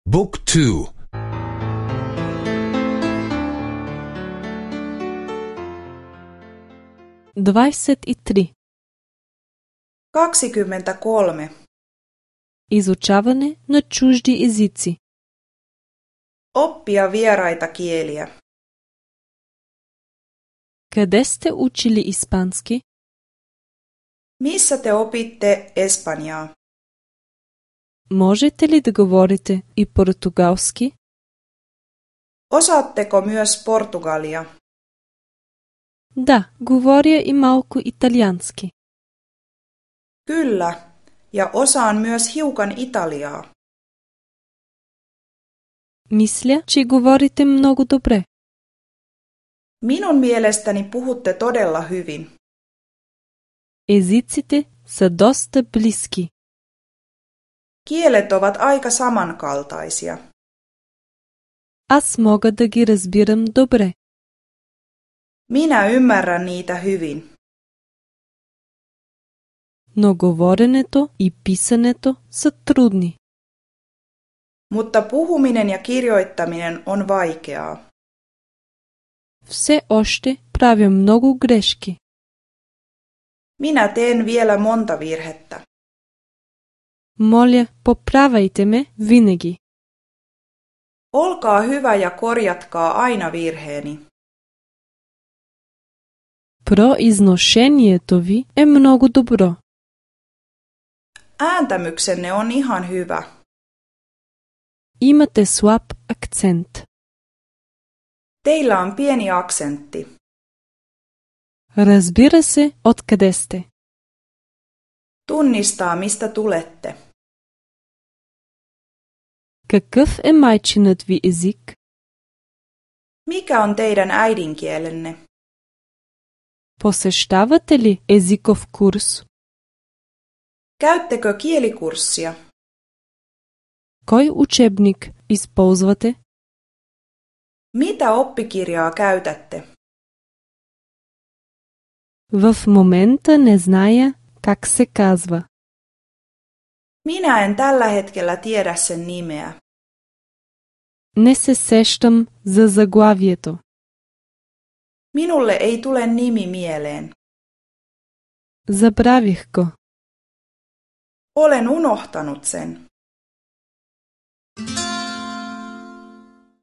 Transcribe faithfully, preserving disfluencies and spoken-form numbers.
Book two. двадесет и три. kaksikymmentäkolme. Изучаване на чужди езици. Oppia vieraita kieliä. Къде сте учили испански? Missä te opitte espanjaa? Можете ли да говорите и португалски? Osaatteko myös portugalia? Да, говоря и малко италиански. Kyllä, ja osaan myös hiukan italiaa. Мисля, че говорите много добре. Minun mielestäni puhutte todella hyvin. Езиците са доста близки. Kielet ovat aika samankaltaisia. Аз мога да ги разбирам добре. Minä ymmärrän niitä hyvin. Но говоренето и писането са трудни. Mutta puhuminen ja kirjoittaminen on vaikeaa. Все още правя много грешки. Minä teen vielä monta virhettä. Моля, поправяйте ме винаги. Olkaa hyvä ja korjatkaa aina virheeni. Произношението ви е много добро. Ääntämyksenne on ihan hyvä. Имате слаб акцент. Teillä on pieni aksentti. Разбира се, откъде сте. Tunnistaa, mistä tulette. Какъв е майчинът ви език? Mikä on teidän äidinkielenne? Посещавате ли езиков курс? Käyttekö kielikurssia? Кой учебник използвате? Mitä oppikirjaa käytätte? В момента не зная как се казва. Minä en tällä hetkellä tiedä sen nimeä. Не се сещам за заглавието. Minulle ei tule nimi mieleen. Забравих го. Olen unohtanut sen.